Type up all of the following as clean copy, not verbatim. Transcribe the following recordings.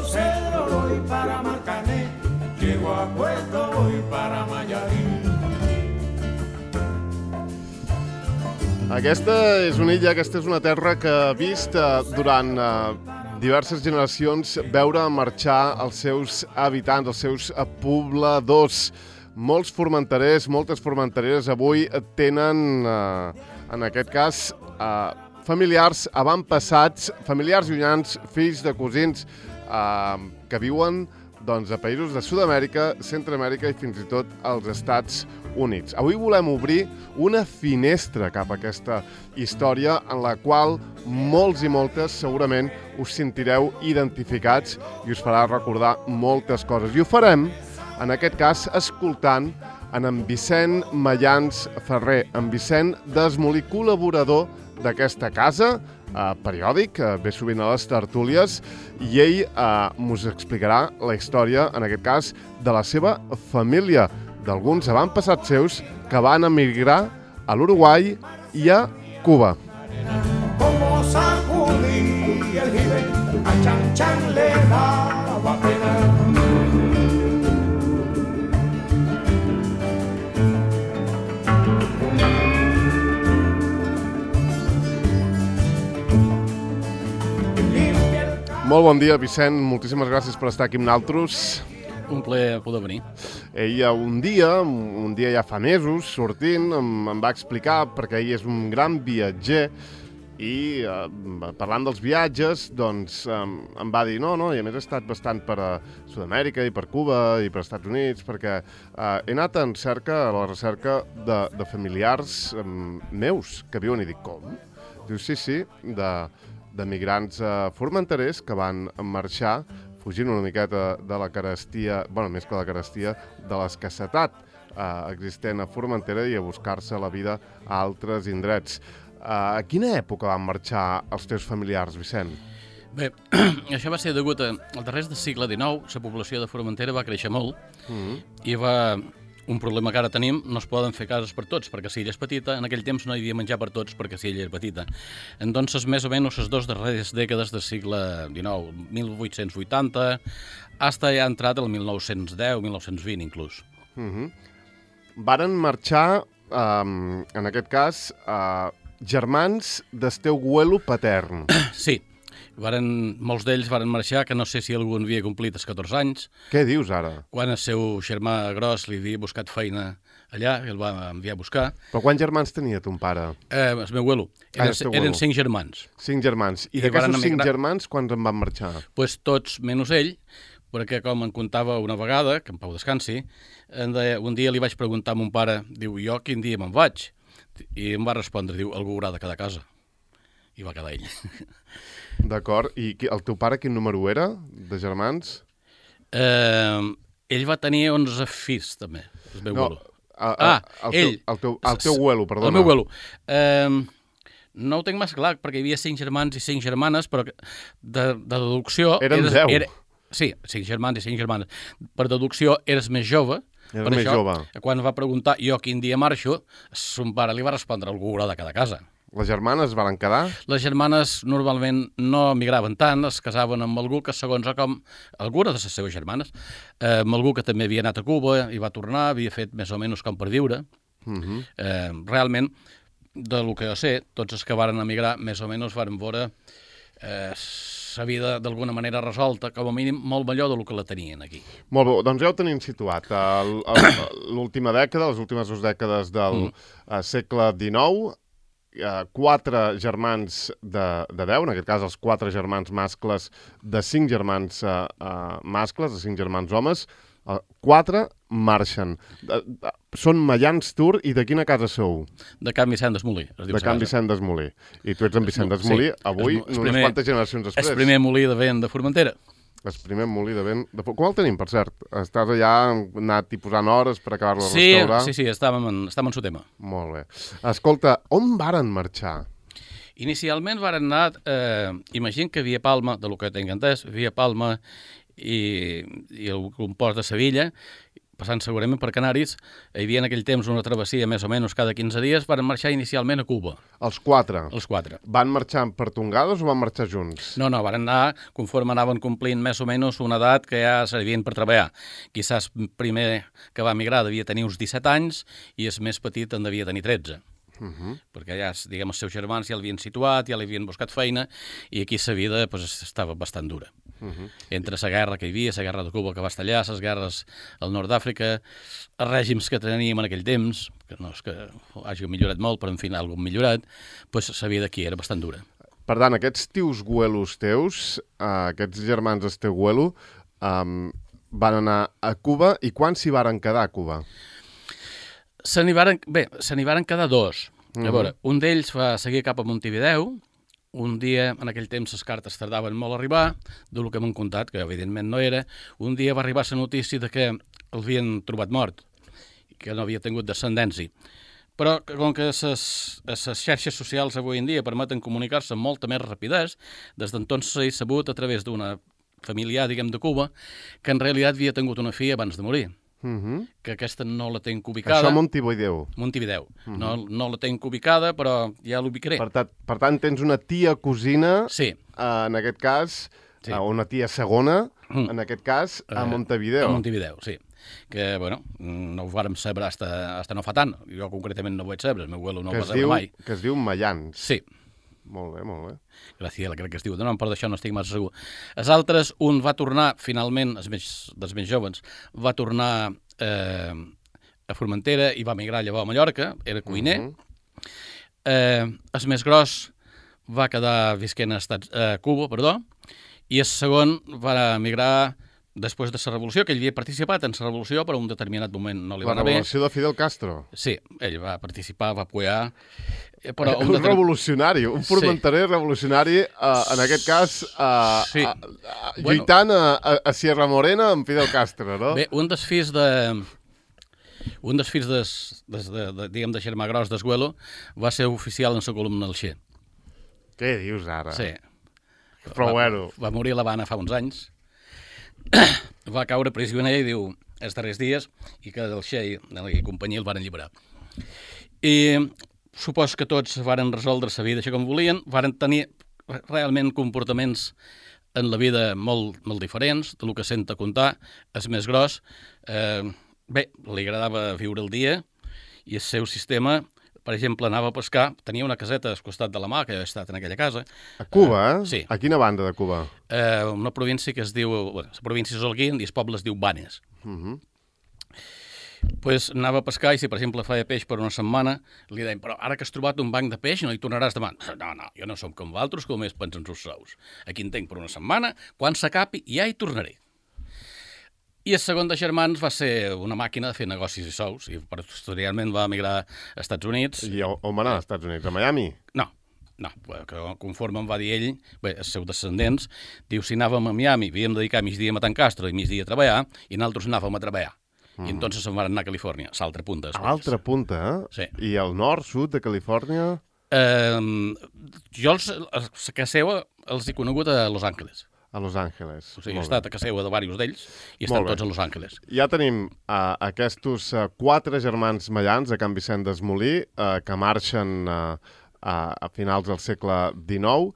Puerto Cedro voy para Marcané, llego a Puerto voy para Mayarín. Aquesta és una illa, aquesta és una terra que ha vist durant diverses generacions veure marxar els seus habitants, els seus pobladors. Molts formenterers, moltes formentereres avui tenen, en aquest cas, familiars avantpassats, familiars llunyans, fills de cosins que viuen a països de Sud-amèrica, Centreamèrica i fins i tot als Estats Units. Avui volem obrir una finestra cap a aquesta història en la qual molts i moltes segurament us sentireu identificats i us farà recordar moltes coses. I ho farem, en aquest cas, escoltant en Vicent Mayans Ferrer, en Vicent Desmolí, col·laborador d'aquesta casa, periòdic, ve sovint a les tertúlies, i ell us explicarà la història, en aquest cas, de la seva família, d'alguns avantpassats seus que van emigrar a l'Uruguai i a Cuba. Como sacudí el jibe, a Chan Chan le daba pena. Molt bon dia, Vicent. Moltíssimes gràcies per estar aquí amb nosaltres. Un plaer poder venir. Ell un dia ja fa mesos, sortint, em va explicar, perquè ell és un gran viatger, i parlant dels viatges, doncs em va dir no, i a més he estat bastant per Sud-amèrica i per Cuba i per Estats Units, perquè he anat a la recerca de familiars meus que viuen, i dic, com? Diu, sí, de migrants formenterers que van marxar fugint una miqueta de la carestia, més que la carestia, de l'escassetat existent a Formentera i a buscar-se la vida a altres indrets. A quina època van marxar els teus familiars, Vicent? Bé, això va ser degut als darrers del segle XIX, la població de Formentera va créixer molt i un problema que ara tenim, no es poden fer cases per tots, perquè si ella és petita, en aquell temps no hi havia menjar per tots perquè si ella és petita. Entonces, més o menys, les dues darreres dècades del segle XIX, 1880, hasta ja ha entrat el 1910, 1920 inclús. Varen marxar, en aquest cas, germans del teu abuelo patern. Sí. Molts d'ells varen marxar, que no sé si algú havia complit els 14 anys. Què dius ara? Quan el seu germà gros li havia buscat feina allà, el va enviar a buscar. Però quants germans tenia ton pare? El meu abuelo. Eren 5 germans. 5 germans. I d'aquests 5 germans, quants en van marxar? Pues tots menys ell, perquè com em contava una vegada, que en pau descansi, un dia li vaig preguntar a mon pare, diu, jo quin dia me'n vaig? I em va respondre, diu, algú haurà de quedar a casa. I va quedar ell. D'acord. I el teu pare quin número era, de germans? Ell va tenir 11 fills, també, el meu abuelo. El teu abuelo, perdona. El meu abuelo. No ho tinc massa clar, perquè hi havia 5 germans i 5 germanes, però de deducció... Eren 10. Sí, 5 germans i 5 germanes. Per deducció, eres més jove. Era més jove. Quan va preguntar jo quin dia marxo, son pare li va respondre algú haurà de quedar a casa. Les germanes van quedar? Les germanes normalment no migraven tant, es casaven amb algú que, segons com alguna de les seves germanes, amb algú que també havia anat a Cuba i va tornar, havia fet més o menys com per viure. Realment, del que jo sé, tots els que varen emigrar més o menys varen veure la vida d'alguna manera resolta, com a mínim molt millor del que la tenien aquí. Molt bé, doncs ja ho tenim situat. L'última dècada, les últimes 2 dècades del segle XIX, 4 germans de 10, en aquest cas els 4 germans mascles de 5 germans mascles, de 5 germans homes, 4 marxen. Són Mayans Tur, i de quina casa sou? De Can Vicent Desmolí. De Can Vicent Desmolí. I tu ets en Vicent Desmolí, avui, unes quantes generacions després. El primer molí de vent de Formentera. El primer molí de vent... Com el tenim, per cert? Estàs allà, anat i posant hores per acabar-lo de restaurar? Sí, estàvem en su tema. Molt bé. Escolta, on varen marxar? Inicialment varen anar, imagina que Via Palma, de lo que tinc entès, Via Palma i el compost de Sevilla, passant segurament per Canaris, hi havia en aquell temps una travessia més o menys cada 15 dies, van marxar inicialment a Cuba. Els 4? Els 4. Van marxar per tongades o van marxar junts? No, van anar conforme anaven complint més o menys una edat que ja servien per treballar. Quizás primer que va migrar devia tenir uns 17 anys i el més petit en devia tenir 13. Perquè ja, diguem, els seus germans ja l'havien situat, ja li havien buscat feina i aquí la vida estava bastant dura. Entre la guerra que hi havia, la guerra de Cuba que va estallar, les guerres al nord d'Àfrica, els règims que teníem en aquell temps, que no és que hagi millorat molt, però en fi, algun millorat, la vida aquí era bastant dura. Per tant, aquests tios güelos teus, aquests germans del teu güelo, van anar a Cuba i quan s'hi varen quedar a Cuba? Se n'hi varen quedar 2. A veure, un d'ells va seguir cap a Montevideo. Un dia, en aquell temps, les cartes tardaven molt a arribar, del que m'han contat, que evidentment no era. Un dia va arribar la notícia de que l'havien trobat mort, que no havia tingut descendència. Però com que les xarxes socials avui en dia permeten comunicar-se amb molta més rapidesa, des d'entonces s'ha sabut a través d'una familiar, diguem, de Cuba, que en realitat havia tingut una filla abans de morir. Que aquesta no la tenc ubicada. Això a Montevideo. Montevideo. No la tenc ubicada, però ja l'ubicaré. Per tant, tens una tia cosina, sí. En aquest cas, una tia segona, en aquest cas, a Montevideo. A Montevideo, sí. Que, bueno, no ho vàrem saber hasta no fa tant. Jo concretament no ho vaig saber, el meu abuelo no ho va saber mai. Que es diu Mayans. Sí. Molt bé, molt bé. Graciela, crec que es diu. No, però d'això no estic massa segur. Els altres, un va tornar, finalment, dels més jovens, va tornar a Formentera i va migrar llavors a Mallorca, era cuiner. El més gros va quedar visquent a Cuba, i el segon va migrar després de la revolució, que ell havia participat en la revolució, però en un determinat moment no li va anar bé. La revolució de Fidel Castro? Sí, ell va participar, va apoyar. Però un revolucionari, un formenterer revolucionari, en aquest cas, lluitant a Sierra Morena amb Fidel Castro, no? Bé, un dels fills de germà gros d'Esguelo va ser oficial en la columna del Che. Què dius ara? Sí. Però bueno. Va morir a l'Havana fa uns anys. Va caure prisioner i diu els darrers dies i que el Che i companyia el van alliberar. I supos que tots varen resoldre la vida així com volien, varen tenir realment comportaments en la vida molt, molt diferents del que senta contar. El més gros, bé, li agradava viure el dia i el seu sistema, per exemple, anava a pescar, tenia una caseta al costat de la mà, que ha estat en aquella casa. A Cuba, sí. A quina banda de Cuba? Una província que es diu, la província és Holguín i el poble es diu Banes. Pues anava a pescar i si, per exemple, feia peix per una setmana, li deien, però ara que has trobat un banc de peix no hi tornaràs demà. No, jo no som com vosaltres, com més pensen els sous. Aquí en tinc per una setmana, quan s'acabi ja hi tornaré. I el segon de germans va ser una màquina de fer negocis i sous, i posteriorment va emigrar als Estats Units. I on va anar als Estats Units? A Miami? No, conforme em va dir ell, bé, els seus descendents, diu, si anàvem a Miami, havíem de dedicar migdia a matar en Castro i migdia a treballar, i nosaltres anàvem a treballar. I entonces se'n van anar a Califòrnia, a l'altra punta. A l'altra punta, Sí. I al nord, sud de Califòrnia? Jo a casa seva els he conegut a Los Angeles. A Los Angeles. O sigui, he estat a casa seva de diversos d'ells i estan tots a Los Angeles. Ja tenim aquests 4 germans mallans a Can Vicent d'Esmolí que marxen a finals del segle XIX.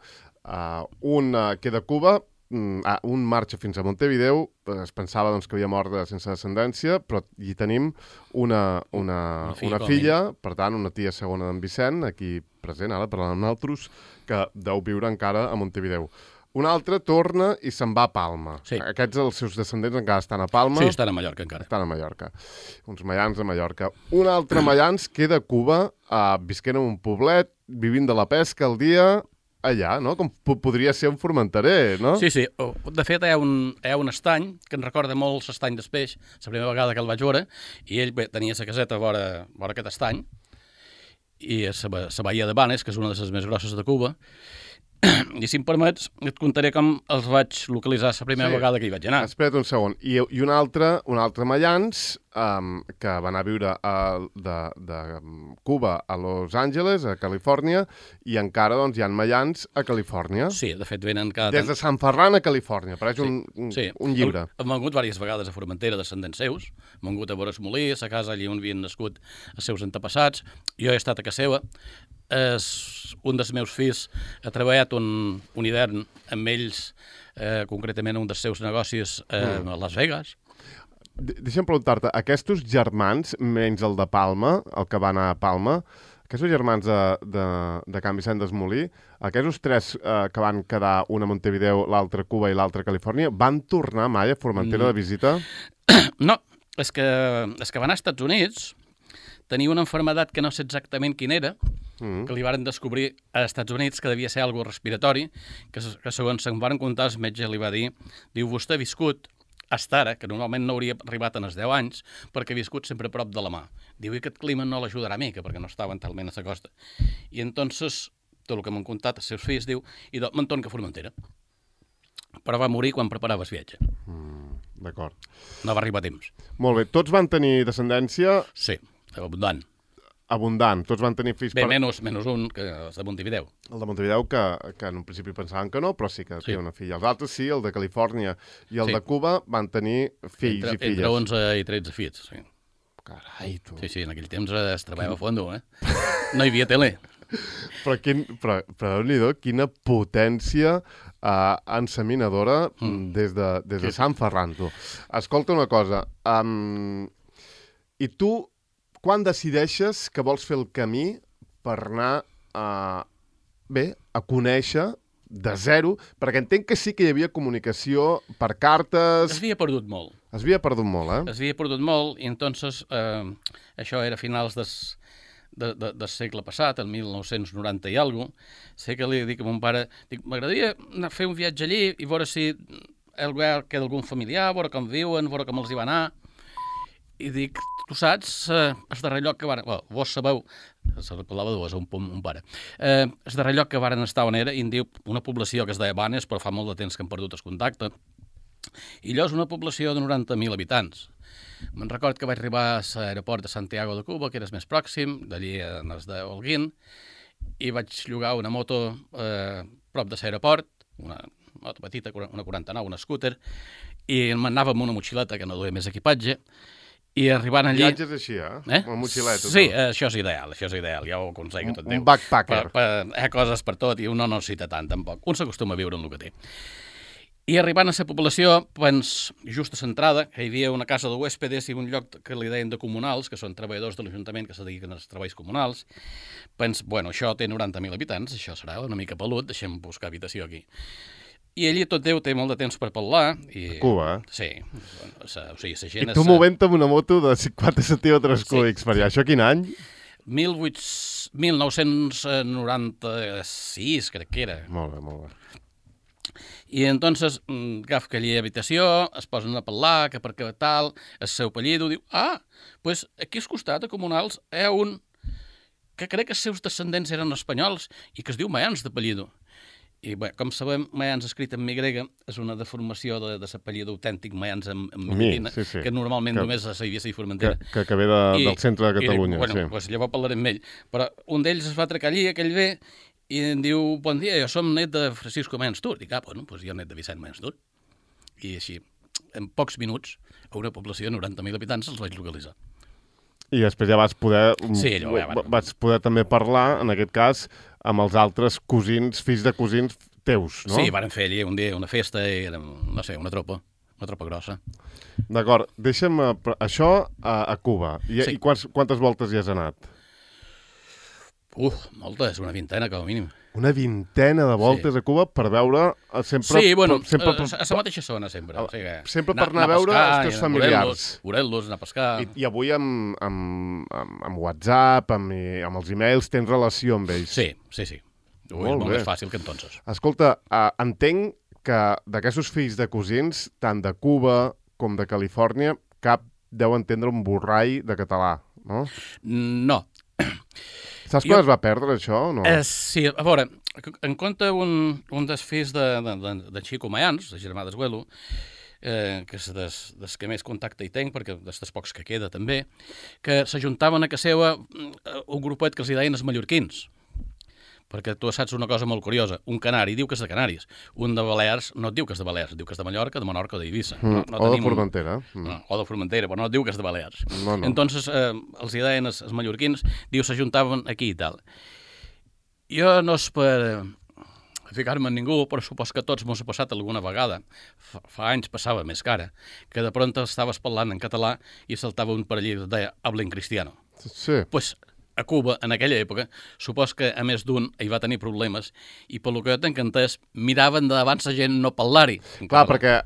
Un queda a Cuba, un marxa fins a Montevideo, es pensava doncs, que havia mort sense descendència, però hi tenim una filla, per tant, una tia segona d'en Vicent, aquí present, ara parlant amb nosaltres, que deu viure encara a Montevideo. Un altre torna i se'n va a Palma. Sí. Aquests, els seus descendents, encara estan a Palma. Sí, estan a Mallorca encara. Estan a Mallorca. Uns mallans a Mallorca. Un altre mallans queda a Cuba, visquent en un poblet, vivint de la pesca al dia, allà, no? Com podria ser un formenterer, no? Sí. De fet, hi ha un estany que em recorda molt l'estany del peix, la primera vegada que el vaig veure, i ell tenia la caseta vora aquest estany, i la bahia de Banes, que és una de les més grosses de Cuba, i si em permets, et contaré com els vaig localitzar la primera vegada que hi vaig anar. Espera't un segon. I un altre mallans que va anar a viure de Cuba a Los Angeles, a Califòrnia, i encara doncs, hi ha maians a Califòrnia. Sí, de fet venen cada Des de Sant Ferran a Califòrnia, pareix un llibre. Hem vengut diverses vegades a Formentera, descendents seus, hem vengut a Boros Molí, a casa allà on havien nascut els seus antepassats, jo he estat a casa seva, un dels meus fills ha treballat un hivern amb ells, concretament un dels seus negocis a Las Vegas. Deixa'm preguntar-te, aquests germans, menys el de Palma, el que va anar a Palma, aquests germans de Can Vicent d'Esmolí, aquests tres que van quedar, un a Montevideo, l'altre a Cuba i l'altre a Califòrnia, van tornar mai a Formentera de visita? No, és que van als Estats Units, tenia una malaltia que no sé exactament quina era, que li varen descobrir als Estats Units que devia ser algo respiratori, que segons se'n van contar, el metge li va dir, diu, vostè ha viscut hasta ara, que normalment no hauria arribat en els 10 anys, perquè ha viscut sempre a prop de la mà. Diu, i aquest clima no l'ajudarà mica, perquè no estaven talment a la costa. I entonces, tot el que m'han contat els seus fills, diu, i me'n torno a Formentera. Però va morir quan preparava el viatge. D'acord. No va arribar a temps. Molt bé. Tots van tenir descendència? Sí, abundant. Abundant. Tots van tenir fills... Bé, menys un, que és de Montevideo. El de Montevideo, que en un principi pensaven que no, però sí que té una filla. Els altres sí, el de Califòrnia i el de Cuba van tenir fills i filles. Entre 11 i 13 fills, sí. Carai, tu. Sí, en aquell temps es treballava a fondo, No hi havia tele. Però Déu-n'hi-do, quina potència enseminadora des de Sant Ferran, tu. Escolta una cosa, i tu quan decideixes que vols fer el camí per anar a conèixer de zero, perquè entenc que sí que hi havia comunicació per cartes... Es havia perdut molt. Es havia perdut molt, Es havia perdut molt, i entonces això era a finals del segle passat, el 1990 i alguna cosa. Sé que li dic a mon pare, m'agradaria anar a fer un viatge allí i veure si queda algun familiar, veure com viuen, veure com els hi va anar. I dic, tu saps, el darrer lloc que varen... Vos sabeu, se parlava de vos, un pare. El darrer lloc que varen estar on era, i em diu una població que es deia Banes, però fa molt de temps que han perdut el contacte. I allò és una població de 90.000 habitants. Me'n record que vaig arribar a l'aeroport de Santiago de Cuba, que era el més pròxim, d'allí en els de Holguín, i vaig llogar una moto prop de l'aeroport, una moto petita, una 49, una scooter, i m'anava amb una motxileta que no duia més equipatge, i arribant allí... Viatges així, Una motxileta. Sí, això és ideal, ja ho aconsello tot Déu. Un backpacker. Hi ha coses per tot i un no necessita tant, tampoc. Un s'acostuma a viure en el que té. I arribant a la població, just a l'entrada, que hi havia una casa de huéspedes i un lloc que li deien de comunals, que són treballadors de l'Ajuntament que se dediquen als treballs comunals, això té 90.000 habitants, això serà una mica pelut, deixem buscar habitació aquí. I allí tot Déu té molt de temps per parlar. A Cuba, Sí. O sigui, la gent... I tu movent amb una moto de 50 centímetres cúbics per allà. Això quin any? 1996, crec que era. Molt bé, molt bé. I entonces agafo aquella habitació, es posen a parlar, que per què tal, el seu apellido, diu, pues aquí al costat, a Comunals, hi ha un que crec que els seus descendents eren espanyols i que es diu Mayans d'apellido. I bé, com sabem, Mayans escrit en mi grega és una deformació de l'apellido autèntic Mayans en Millatina, que normalment només s'havia a Formentera. Que ve del centre de Catalunya. Bueno, doncs llavors parlarem amb ell. Però un d'ells es va atracar allí, aquell ve, i em diu, bon dia, jo som net de Francisco Mayans Tur. Dic, doncs jo net de Vicent Mayans Tur. I així, en pocs minuts, a una població de 90.000 habitants els vaig localitzar. I després ja vas poder... Sí, vas poder també parlar, en aquest cas, amb els altres cosins, fills de cosins teus, no? Sí, varen fer allí un dia una festa i érem, no sé, una tropa grossa. D'acord, deixa'm això a Cuba. I quantes voltes hi has anat? Moltes, una vintena com a mínim. Una vintena de voltes a Cuba per veure sempre... Sí, bueno, a la mateixa zona sempre. O sigui, sempre per anar a veure els teus familiars. Morelos, anar a pescar... I avui amb WhatsApp, amb els e-mails, tens relació amb ells. Sí. Avui és molt més fàcil que entonces. Escolta, entenc que d'aquests fills de cosins, tant de Cuba com de Califòrnia, cap deu entendre un borrall de català, no? No. Saps quan es va perdre, això, o no? Sí, a veure, en compte un dels fills de Chico Mayans, de germà d'Esguelo, que és des que més contacte hi tenc, perquè dels pocs que queda també, que s'ajuntaven a casa seva un grupet que els hi deien els mallorquins. Perquè tu saps una cosa molt curiosa. Un canari diu que és de Canàries. Un de Balears no et diu que és de Balears, diu que és de Mallorca, de Menorca o d'Eivissa. O de Formentera. No, o de Formentera, però no et diu que és de Balears. No. Entonces, els hi deien els mallorquins, diu, s'ajuntaven aquí i tal. Jo no és per ficar-me en ningú, però supos que a tots m'ho ha passat alguna vegada. Fa anys passava més que ara, que de pronto estaves parlant en català i saltava un per allí i et deia «hablen cristiano». Sí. Pues a Cuba, en aquella època, supos que a més d'un hi va tenir problemes i pel que jo t'he entès, miraven d'abans la gent no parlar-hi. Clar, perquè,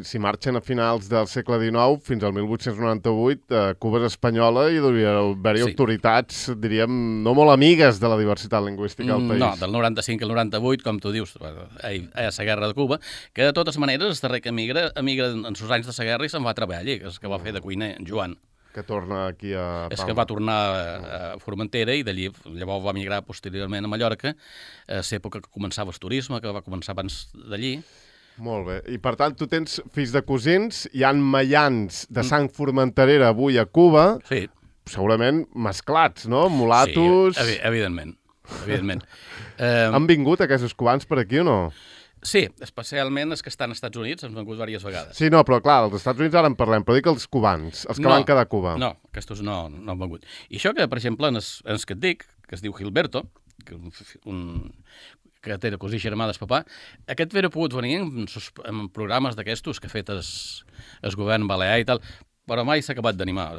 si marxen a finals del segle XIX, fins al 1898, Cuba és espanyola i devia haver-hi autoritats, diríem, no molt amigues de la diversitat lingüística del país. No, del 95 al 98, com tu dius, a la guerra de Cuba, que de totes maneres, el darrer que emigra en els anys de la guerra i se'n va a treballar allí, que és que va fer de cuiner, en Joan. Que torna aquí a Palma. És que va tornar a Formentera i d'allí llavors va migrar posteriorment a Mallorca, a l'època que començava el turisme, que va començar abans d'allí. Molt bé. I per tant, tu tens fills de cosins, hi han mallans de sang formenterera avui a Cuba, sí. Segurament mesclats, no? Mulatos... Sí, evidentment. Han vingut aquests cubans per aquí o no? Sí, especialment els que estan als Estats Units, han vengut diverses vegades. Sí, no, però clar, als Estats Units ara en parlem, però dic els cubans, els que van quedar a Cuba. No, aquests no han vengut. I això que, per exemple, en els que et dic, que es diu Gilberto, que té cosí germà del papà, aquest vera pogut venir en programes d'aquestos que ha fet el govern balear i tal, però mai s'ha acabat d'animar.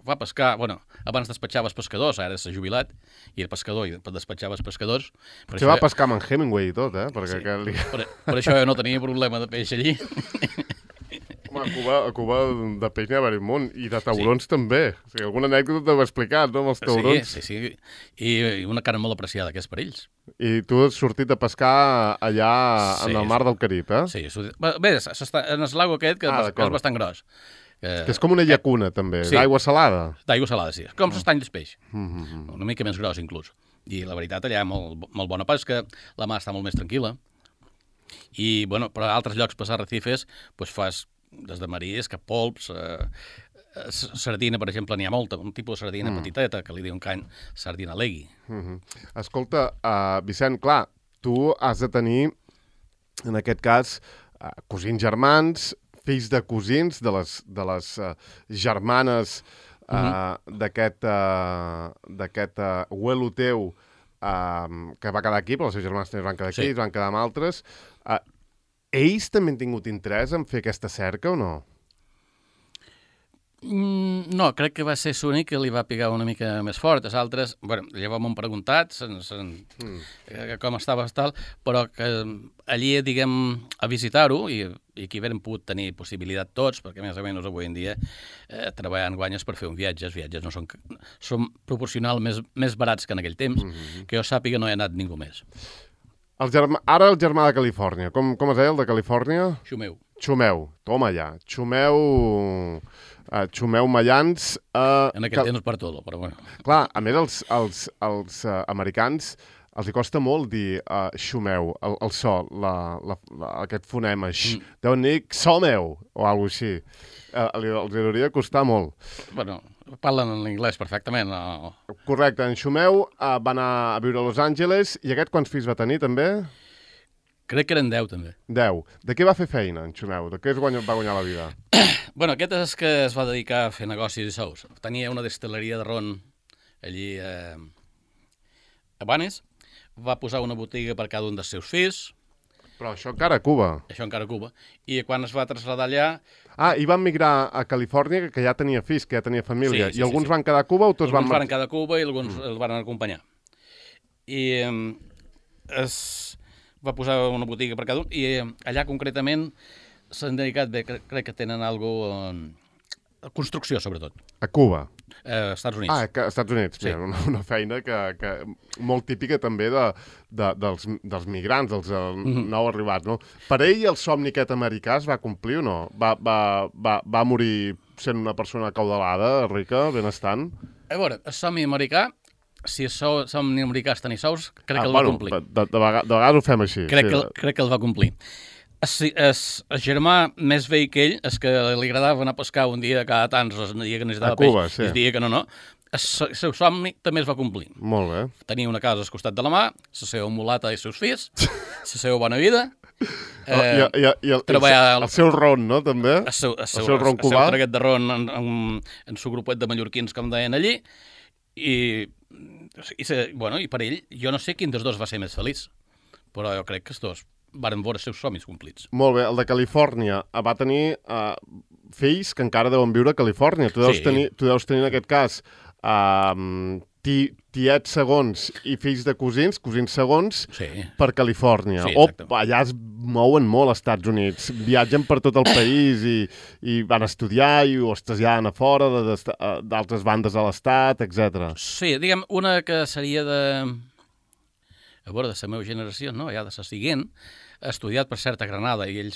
Va pescar, abans despatxava els pescadors, ara s'ha jubilat, i el pescador i despatxava els pescadors. Se va pescar amb en Hemingway i tot, Perquè sí, per això jo no tenia problema de peix allí. Home, a Cuba de peix n'hi ha un munt, i de taurons també. O sigui, alguna anècdota t'ho he explicat, no?, amb els taurons. Sí. I una carn molt apreciada, que és per ells. I tu has sortit de pescar allà en el mar del Carib, Sí. Bé, en el lago aquest, que és bastant gros. Que és com una llacuna, també, d'aigua salada. D'aigua salada, sí. Com s'estany del peix. Una mica més gros, inclús. I la veritat, allà hi ha molt bona pesca, la mar està molt més tranquil·la. I, però a altres llocs, per Arrecifes, fas des de marisc, polps, sardina, per exemple, n'hi ha molta, un tipus de sardina petiteta, que li diuen sardina legui. Escolta, Vicent, clar, tu has de tenir, en aquest cas, cosins germans, fills de cosins, de les germanes d'aquest abuelo teu que va quedar aquí, però els seus germans també van quedar aquí, es van quedar amb altres. Ells també han tingut interès en fer aquesta cerca o no? No, crec que va ser l'únic que li va picar una mica més fort. Els altres, llavors m'han preguntat com estava tal, però que allí, diguem, a visitar-ho, i aquí haguem pogut tenir possibilitat tots, perquè més o menys avui en dia treballant guanyes per fer un viatge. Els viatges no són proporcional més barats que en aquell temps, que jo sàpiga no hi ha anat ningú més. Ara el germà de Califòrnia, com es deia el de Califòrnia? Xumeu, toma ja. Xumeu Mallans... En aquest temps per tot, però bueno. Clar, a més els americans els hi costa molt dir xumeu, el so, aquest fonema. Deuen dir xomeu o alguna cosa així. Els hauria de costar molt. Parlen en anglès perfectament. Correcte, en Xumeu va anar a viure a Los Angeles i aquest quants fills va tenir també? Crec que eren 10 també. 10. De què va fer feina en Xumeu? De què va guanyar la vida? Aquest és que es va dedicar a fer negocis i sous. Tenia una destil·leria de ron allí a Banes, va posar una botiga per cada un dels seus fills. Però això encara a Cuba. Això encara a Cuba. I quan es va traslladar allà... I van migrar a Califòrnia, que ja tenia fills, que ja tenia família. I alguns van quedar a Cuba o tots van... Alguns van quedar a Cuba i alguns els van acompanyar. I es va posar una botiga per cada un. I allà concretament s'han dedicat bé, crec que tenen alguna cosa... construcció, sobretot. A Cuba? Estats Units. Als Estats Units. Sí. Mira, una feina que molt típica també dels migrants, dels nou arribats, no? Per ell el somni aquest americà es va complir o no? Va morir sent una persona acaudalada, rica, benestant? A veure, el somni americà, si el somni americà és tenir sous, crec que el va complir. De vegades ho fem així. Crec que el va complir. El germà més vell que ell, és que li agradava anar a pescar un dia cada tants, el dia que necessitava Cuba, peix, sí. el dia que no. El seu somni també es va complir. Molt bé. Tenia una casa al costat de la mà, la seva mulata i els seus fills, la seva bona vida. El seu ron, no, també? El seu ron cubà. El traguet de ron en el seu grupet de mallorquins, com deien allí, i per ell, jo no sé quin dels dos va ser més feliç, però jo crec que els dos varen veure els seus somnis complits. Molt bé, el de Califòrnia va tenir fills que encara deuen viure a Califòrnia. Tu deus tenir en aquest cas tiets segons i fills de cosins segons per Califòrnia. Allà es mouen molt als Estats Units, viatgen per tot el país i van estudiar i ho es traslladen a fora d'altres bandes de l'estat, etc. Sí, diguem, una que seria de la meva generació, no? Ja de la següent, ha estudiat per cert a Granada i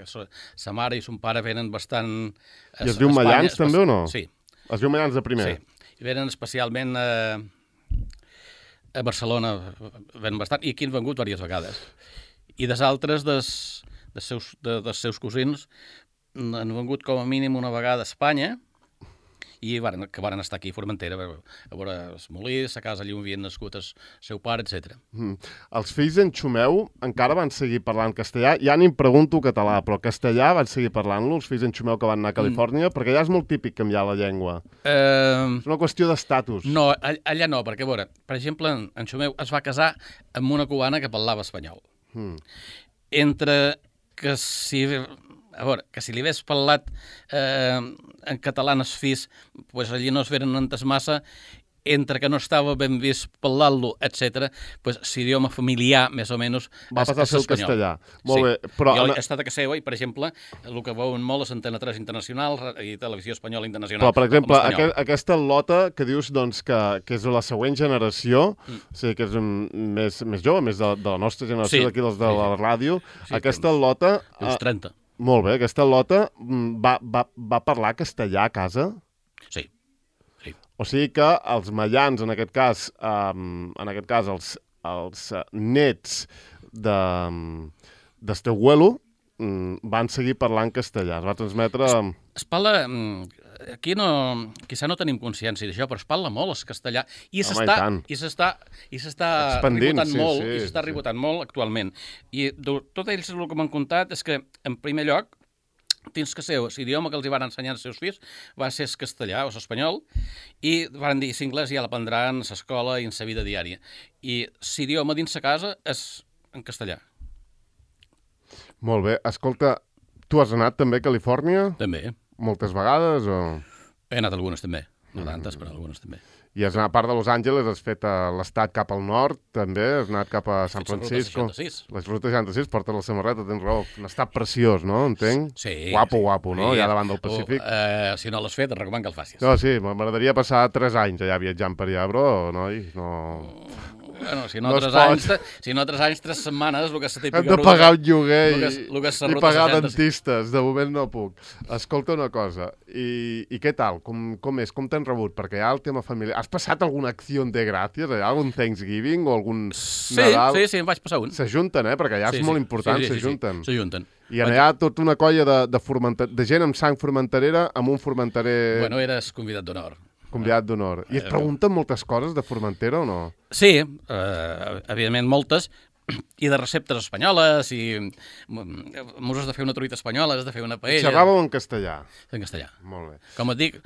sa mare i son pare venen bastant... I es diu Mallans també o no? Sí. Es diu Mallans de primer? Sí, i venen especialment a Barcelona, venen bastant, i aquí han vengut diverses vegades. I des altres dels seus cosins han vengut com a mínim una vegada a Espanya, i que varen estar aquí a Formentera, a veure els molins, a casa allà on havien nascut el seu pare, etc. Els fills d'en Xumeu encara van seguir parlant castellà? Ja ni em pregunto català, però castellà van seguir parlant-lo, els fills d'en Xumeu que van anar a Califòrnia? Perquè allà és molt típic canviar la llengua. És una qüestió d'estatus. No, allà no, perquè, a veure, per exemple, en Xumeu es va casar amb una cubana que parlava espanyol. Entre que si... A veure, que si li hagués parlat en català als fills, pues allí no es veren entes massa, entre que no estava ben vist parlar-lo, etc., pues l'idioma familiar, més o menys, va passar a ser el castellà. Molt bé, però... Jo he estat a casa seva i, per exemple, el que veuen molt és Antena 3 Internacional i Televisió Espanyola Internacional. Però, per exemple, aquesta lota que dius doncs, que és la següent generació, o sigui, que és més jove, més de la nostra generació, d'aquí dels de la ràdio, aquesta lota... Uns 30. Molt bé, aquesta lota va parlar castellà a casa? Sí. O sigui que els mallans, en aquest cas els nets d'este abuelo, van seguir parlant castellà. Es va transmetre... Es parla... Aquí quizà no tenim consciència d'això, però es parla molt el castellà i s'està rebotant molt, i s'està rebotant molt actualment. I tot ells el que m'han contat és que, en primer lloc, dins que l'idioma que els van ensenyar als seus fills va ser el castellà o l'espanyol, i van dir que l'anglès ja l'aprendran a l'escola i en la vida diària. I l'idioma dins la casa és en castellà. Molt bé. Escolta, tu has anat també a Califòrnia? També. Moltes vegades o...? He anat algunes també. No tantes, però algunes també. I has anat a part de Los Angeles, has fet l'estat cap al nord, també, has anat cap a San Francisco. Les rutes 66, portes la samarreta, tens raó. Un estat preciós, no? Entenc? Sí. Guapo, no? Allà davant del Pacífic. Si no l'has fet, et recomano que el facis. No, sí, m'agradaria passar 3 anys allà viatjant per allà, però, noi, no... Bueno, si no 3 anys, 3 setmanes, el que és la típica... Hem de pagar un lloguer i pagar 60. dentistes. De moment no puc. Escolta una cosa, i què tal? Com és? Com t'han rebut? Perquè hi ha el tema familiar. Has passat alguna acció de gràcies? Hi ha algun Thanksgiving o algun Nadal? Sí, em vaig passar un. S'ajunten, perquè allà és molt important, s'ajunten. S'ajunten. I allà tota una colla de gent amb sang formenterera amb un formenterer... Bueno, eres convidat d'honor. Convidat d'honor. I et pregunten moltes coses de Formentera o no? Sí, evidentment moltes, i de receptes espanyoles, i m'ho has de fer una truita espanyola, has de fer una paella... Xerràveu en castellà? En castellà. Molt bé. Com et dic,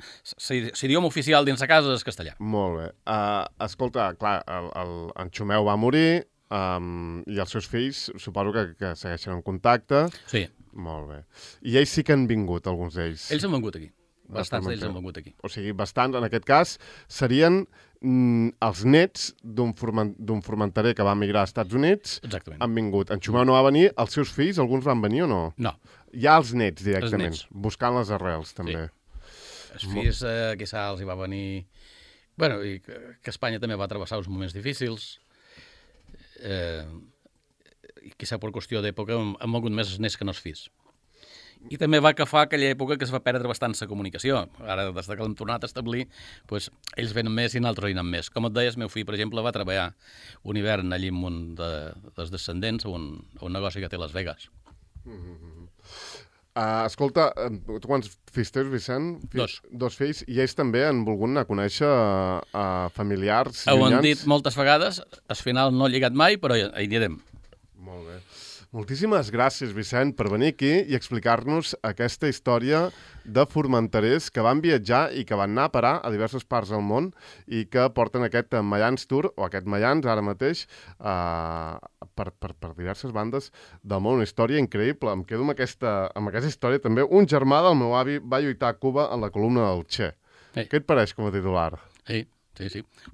l'idioma oficial dins la casa és castellà. Molt bé. Escolta, clar, en Xumeu va morir i els seus fills suposo que segueixen en contacte. Sí. Molt bé. I ells sí que han vingut, alguns d'ells? Ells han vingut aquí. Bastants d'ells han vingut aquí. O sigui, bastants, en aquest cas, serien els nets d'un formenterer que va emigrar als Estats Units. Exactament. Han vingut. En Xumeu no va venir, els seus fills, alguns van venir o no? No. Ja els nets, directament, buscant les arrels, també. Sí. Els fills, quizà els hi va venir... Bueno, i que Espanya també va travessar uns moments difícils. I quizà per qüestió d'època han mogut més els nets que no els fills. I també va agafar aquella època que es va perdre bastant la comunicació. Ara, des que l'hem tornat a establir, doncs, ells venen més i nosaltres venen més. Com et deies, el meu fill, per exemple, va treballar un hivern allí amb un dels descendents a un negoci que té a Las Vegas. Escolta, tu quants fills tens, Vicent? Dos fills. I ells també han volgut anar a conèixer familiars Ho llunyans? han dit moltes vegades, al final no he lligat mai, però hi anirem. Molt bé. Moltíssimes gràcies, Vicent, per venir aquí i explicar-nos aquesta història de formenterers que van viatjar i que van anar a parar a diverses parts del món i que porten aquest Mayans Tour, o aquest Mayans ara mateix, per diverses bandes del món. Una història increïble. Em quedo amb aquesta història també. Un germà del meu avi va lluitar a Cuba en la columna del Che. Què et pareix com a titular? Sí.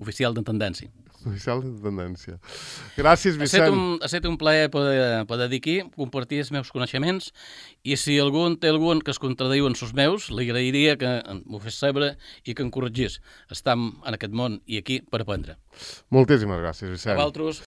Oficial d'intendència. Oficial de tendència. Gràcies, Vicent. Ha estat un plaer poder dir aquí, compartir els meus coneixements, i si algun té algun que es contradiu en els meus, li agrairia que m'ho fes saber i que em corregís. Estam en aquest món i aquí per aprendre. Moltíssimes gràcies, Vicent. A vosaltres.